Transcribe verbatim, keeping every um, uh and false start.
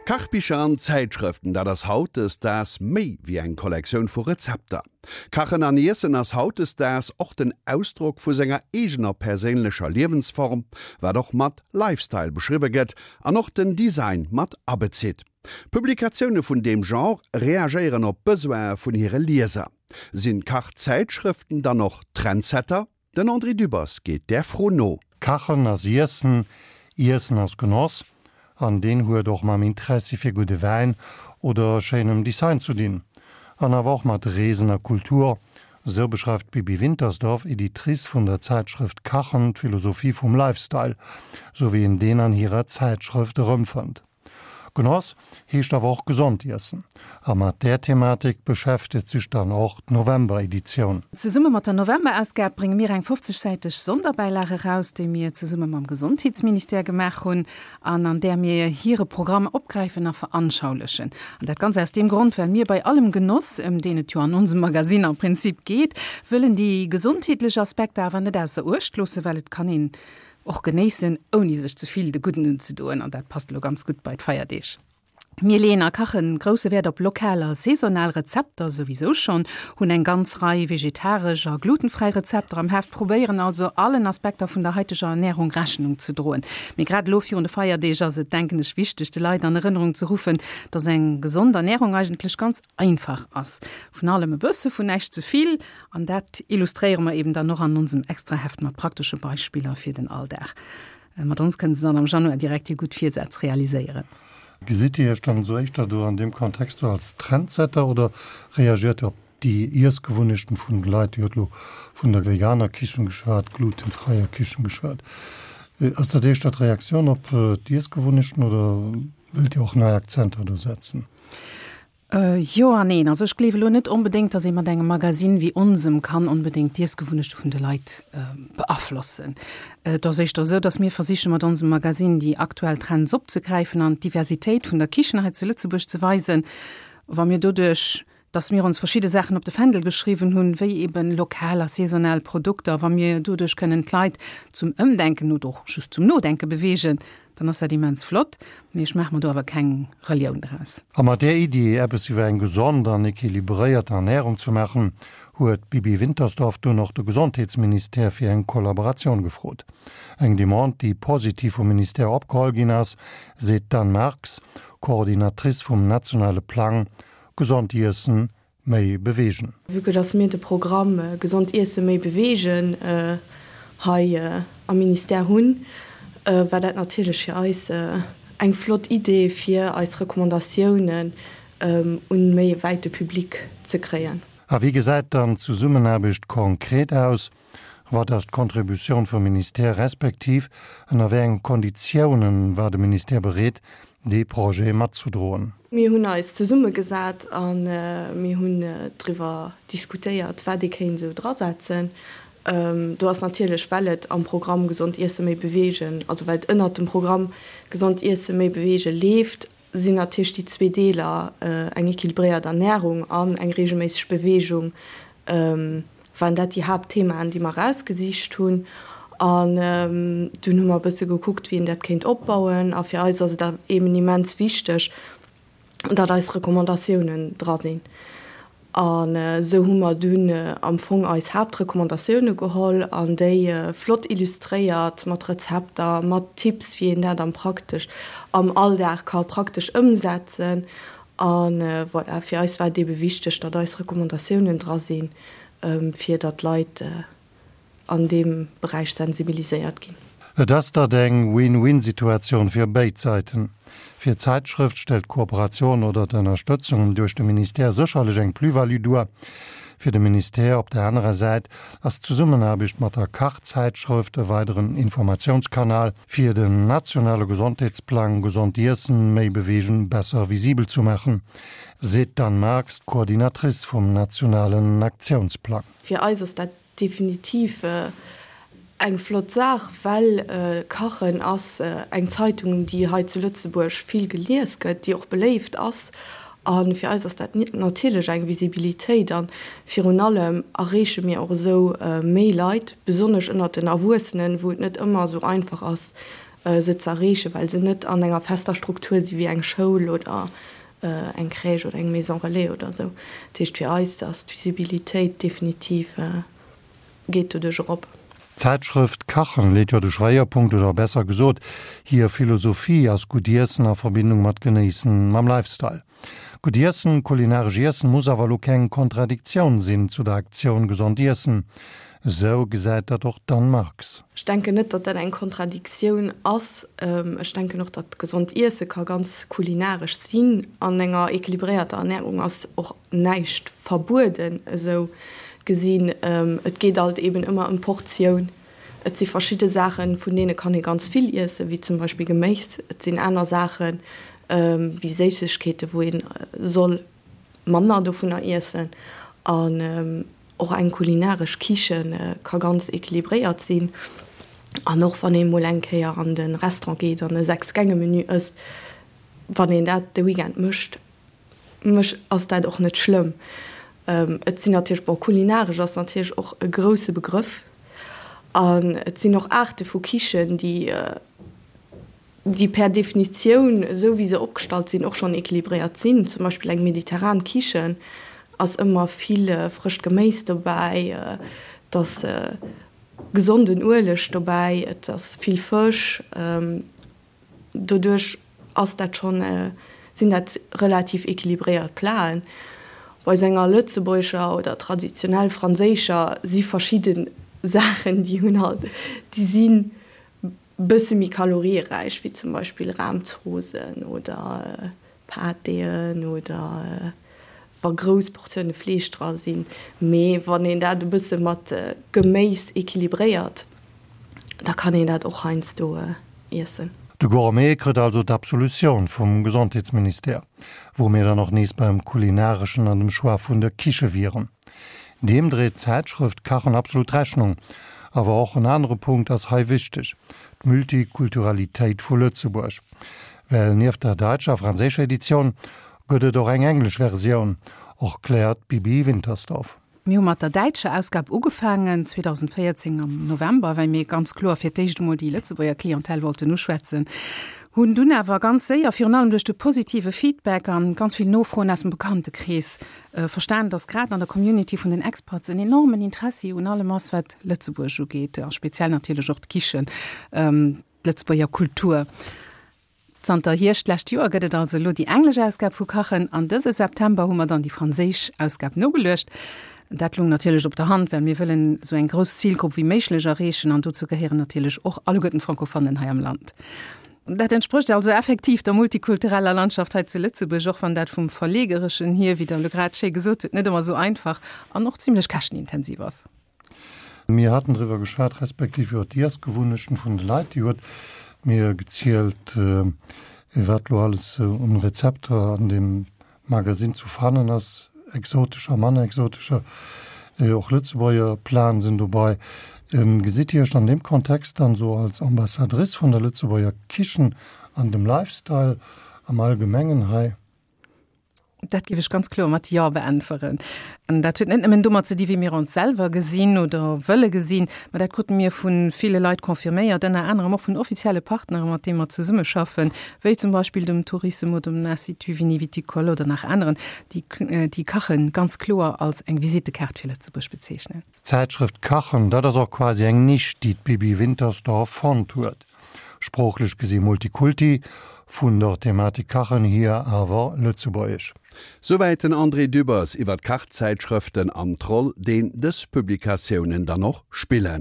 Kachbicher an Zäitschrëften, dat ass hautdesdaags méi wéi eng Kollektioun vu Rezepter. Kachen an Iessen ass hautdesdaags och den Ausdrock vu senger eegener perséinlecher Liewensform, wat och mat Lifestyle beschriwwe gëtt an och den Design mat abezitt. Publikatioune vun deem Genre reagéieren op d'Besoine vun hire Lieser. Sinn Kachzäitschrëften dann och Trendsetter? Den André Dübbers geet där Fro no. Kachen ass Iessen, Iessen ass Genoss, an deen huet och mam Interessi fir gudde Wäin oder schéinem Design ze dinn. An awer och mat Reesen a Kultur, esou beschreift d'Bibi Wintersdorf, Editrice vun der Zäitschrëft Kachen, d'Philosophie vum Lifestyle, sou wéi een deen an hirer Zäitschrëft erëmfënnt. Genoss heescht awer och gesond iessen. A mat där Thematik beschäftegt sech dann och d'November-Editioun. Zesumme mat der November-Ausgab brénge mir eng fofzegsäiteg Sonderbäilag eraus, déi mir zesumme mam Gesondheetsministère gemaach hunn an an där mir hire Programm opgräifen a veranschaulechen. An dat ganz aus deem Grond, well mir bei allem Genoss, ëm deen et jo an onsem Magasinn am Prinzip geet, wëllen déi gesondheetlech Aspekter awer net ausser Uecht loossen, well et kann een och genéissen, ouni sech ze vill de Gudden unzedoen, an dat passt elo ganz gutt bei d'Feierdeeg. Mir leeën a Kachen grousse Wäert op lokal a saisonal Rezepter, souwisou schonn, hunn eng ganz Rei vegetaresch a glutenfräi Rezepter am Heft, probéieren also allen Aspekter vun der haiteger Ernärung Rechnung ze droen. Mee grad elo virun de Feierdeeg ass et, denken ech, wichteg, de Leit an Erënnerung ze ruffen, dass eng gesond Ernärung eigentlech ganz einfach ass. Vun allem e bësse, vun näischt ze vill. An dat illustréiere mer eben dann och an onsem Extraheft mat praktesche Beispiller fir den Alldag. Mat ons kënne se dann am Januar direkt hir gutt Virsätz realiséieren. Gesitt Dir Iech dann esou éischter do an deem Kontext do als Trendsetter oder reagiert Dir op déi Iessgewunnechten vun de Leit? Dir hutt elo vun der veganer Kichen geschwat, glutenfräier Kichen geschwat. Ass dat éischter d'Reaktioun op d'Iessgewunnechten oder wëllt Dir och nei Akzenter do setzen? Jo a neen. Also ech gleewe lo net onbedéngt, datt ee mat engem Magasinn wéi onsem kann onbedéngt d'Iessgewunnechte vun de Leit beaflossen. Et ass éischter esou, datt mir versiche mat onsem Magasinn déi aktuell Trends opzegräifen an d'Diversitéit vun der Kichen hei zu Lëtzebuerg ze weisen. Wa mir doduerch, datt mir ons verschidde Saachen op de Fändel geschriwwen hunn, wéi eben lokal a saisonal Produkter, wa mir doduerch kënnen d'Leit zum Ëmdenken oder och just zum Nodenke beweegen, Dann ass dat immens flott, mee ech maache mer do awer keng Relioun draus. A mat där Iddi, eppes iwwer eng gesond an equilibréiert Ernärung ze maachen, huet d'Bibi Wintersdorf dunn och de Gesondheetsministère fir eng Kollaboratioun gefrot. Eng Demande, déi positiv vum Ministère opgeholl ginn ass, seet d'Anne Marx, Coordinatrice vum nationale Plang Gesond iessen, méi bewegen. Vue que dass mir de Programm Gesond iessen, méi bewegen hei am Ministère hunn, war dat natierlech fir eis eng flott Idee, fir eis Recommandatiounen un méi e wäite Public ze kréien. A wéi gesäit dann d'Zesummenaarbecht konkret aus? Wat ass d'Contributioun vum Ministère respektiv ënner wéi enge Konditiounen war de Ministère bereet, dee Projet matzedroen? Mir hunn eis zesummegesat a mir hunn driwwer diskutéiert, wat ee kéint esou drasetzen. Do ass natierlech, well et am Programm Gesond iessen, méi bewegen, also well et ënnert dem Programm Gesond iessen, méi bewegen leeft, sinn natierlech déi zwee Deeler, eng equilibréiert Ernärung an eng reegelméisseg Beweegung, waren dat déi Haaptthemaen, déi mer erausgesicht hunn. An dunn hu mer e bësse gekuckt, wéi een dat kéint opbauen. A fir eis ass et eben immens wichteg, datt eis Recommandatiounen dra sinn. An esou hu mer dunn am Fong eis Haaptrecommandatioune geholl an déi flott illustréiert mat Rezepter, mat Tipps, wéi een dat am praktesch, am Alldag ka praktesch ëmsetzen. A voilà, fir eis war et eebe wichteg, datt eis Recommandatiounen dra sinn, fir datt d'Leit an deem Beräich sensibiliséiert ginn. Et ass dat eng Win-win-Situatioun fir béid Säiten. Fir d'Zäitschrëft stellt d'Kooperatioun oder d'Ënnerstëtzung duerch de Ministère sécherlech eng Plus-value duer. Fir de Ministère op der anerer Säit ass d'Zesummenaarbecht mat der Kachzäitschrëft e weideren Informatiounskanal, fir den nationale Gesondheetsplang Gesond iessen, méi bewegen besser visibel zu maachen, seet d'Anne Marx, d'Coordinatrice vum nationalen Aktiounsplang. Fir eis ass dat Definitiv eng flott Saach, well Kachen ass eng Zeitung, déi hei zu Lëtzebuerg vill gelies gëtt, déi och beléift ass. A fir eis ass dat natierlech eng Visibilitéit a virun allem erreeche mir och esou méi Leit, besonnesch ënnert den Erwuessenen, wou et net ëmmer esou einfach ass, se ze erreechen, well se net an enger fester Struktur si wéi eng Schoul oder eng Crèche oder eng Maison relais oder esou. Dat heescht, fir eis ass d'Visibilitéit definitiv, geet doduerch erop. D'Zäitschrëft Kachen leet jo de Schwéierpunkt, oder besser gesot hir Philosophie ass gutt Iessen a Verbindung mat Genéissen, mam Lifestyle. Gutt Iessen, kulinaresch Iessen muss awer elo keng Kontradiktioun sinn zu der Aktioun Gesond Iessen. Esou gesäit dat och d'Anne Marx. Ech denken net, datt dat eng Kontradiktioun ass. Ech denken och, datt gesond Iesse ka ganz kulinaresch sinn. An enger equilibréierter Ernärung ass och näischt verbueden, esou gesinn. Et geet alt eben ëmmer ëm d'Portioun. Et si verschidde Saachen, vun deene kann ee ganz vill iessen, wéi zum Beispill Geméis. Et sinn aner Saachen, wéi Séissegkeeten, wou ee soll manner dovunner iessen. An och eng kulinaresch Kiche ka ganz equilibréiert sinn. An och wann ee mol eng Kéier an de Restaurant geet an e Sechs-Gänge-Menü ësst, wann een dat de Weekend mécht, mech ass dat och net schlëmm. Et sinn natierlech, bon, kulinaresch ass natierlech och e grousse Begrëff. An et sinn och Aarte vu Kichen, déi, déi per Definitioun, esou wéi se opgestallt sinn, och schonn equilibréiert sinn. Zum Beispill eng mediterran Kichen ass ëmmer vill frëscht Geméis dobäi, et ass gesonden Ueleg dobäi, et ass vill Fësch. Doduerch ass dat schonn, sinn dat relativ equilibréiert Platen. Bei esou enger lëtzebuergescher oder traditionell franséischer si verschidde Saachen, déi hunn halt, déi si bësse méi kalorieräich, wéi zum Beispill Rahmzoosen oder Pâtéen oder wa grouss Portioune Fleesch dra sinn. Mee wann een dat e bësse mat Geméis equilibréiert, da kann een dat och heiansdo iessen. De Gourmet kritt also d'Absolutioun vum Gesondheetsministère, wou mir dann och nees beim Kulinareschen an dem Choix vun der Kiche wieren. Deem dréit d'Zäitschrëft Kachen absolut Rechnung. Awer och en anere Punkt ass hei wichteg, d'Multikulturalitéit vu Lëtzebuerg. Well nieft der däitscher a franséischer Editioun gëtt et och eng englesch Versioun, erkläert d'Bibi Wintersdorf. Mir hu mat der däitscher Ausgab ugefaangen zweedausendvéierzéng am November, well mir ganz kloer fir d'éischt emol déi Lëtzebuerger Clientèle wollten uschwätzen, hunn dunn awer ganz séier, virun allem duerch de positive Feedback an ganz vill Nofroen aus dem Bekanntekrees, verstan, dass grad an der Community vun den Expats en enormen Interessi un allem ass, wat Lëtzebuerg ugeet, a speziell natierlech och d'Kichen, d'Lëtzebuerger Kultur. Zanter Hierscht d'lescht Joer gëtt et also elo déi englesch Ausgab vu Kachen an dëse September hu mer dann déi franséisch Ausgab nogeluecht. Dat lung natierlech op der Hand, well mir wëllen esou eng grouss Zilgrupp wéi méiglech erreechen an dozou gehéieren natierlech och alleguerten d'Francophonnen hei am Land. Dat entsprécht also effektiv der multikultureller Landschaft hei zu Lëtzebuerg, och wann dat vum Verleegereschen hier, wéi Der elo grad schéi gesot hutt, net ëmmer esou einfach an och zimlech käschtenintensiv ass. Mir haten driwwer geschwat, respektiv iwwer d'Iessgewunnechten vun de Leit. Dir huet mir gezielt, wat elo alles un Rezepter an deem Magasinn zu fannen ass, exotescher, manner exotescher, och Lëtzebuerger Platen sinn dobei. Gesitt Dir Iech an deem Kontext dann esou als Ambassadrice vun der Lëtzebuerger Kichen an dem Lifestyle am Allgemengen hei? Dat géif ech ganz kloer mat Jo beäntweren. An dat huet net nëmmen domat ze di wéi mir ons selwer gesinn oder wëlle gesinn, mä dat krute mir vu ville Leit confirméiert, ënner anerem och vun offizielle Partnere mat deene mer zesummeschaffen, wéi zum Beispill dem Tourissem oder dem Institut Vini-Viticole oder nach aneren, déi déi Kachen ganz kloer als eng Visittekaart fir Lëtzebuerg bezeechnen. D'Zäitschrëft Kachen, dat ass och quasi eng Nisch, déi d'Bibi Wintersdorf fonnt huet. Sproochlech gesi Multikulti, vun der Thematik Kachen hier awer lëtzebuergesch. Souwäit den André Dübbers iwwer d'Kachzäitschrëften an d'Roll, deen dës Publikatiounen dann och spillen.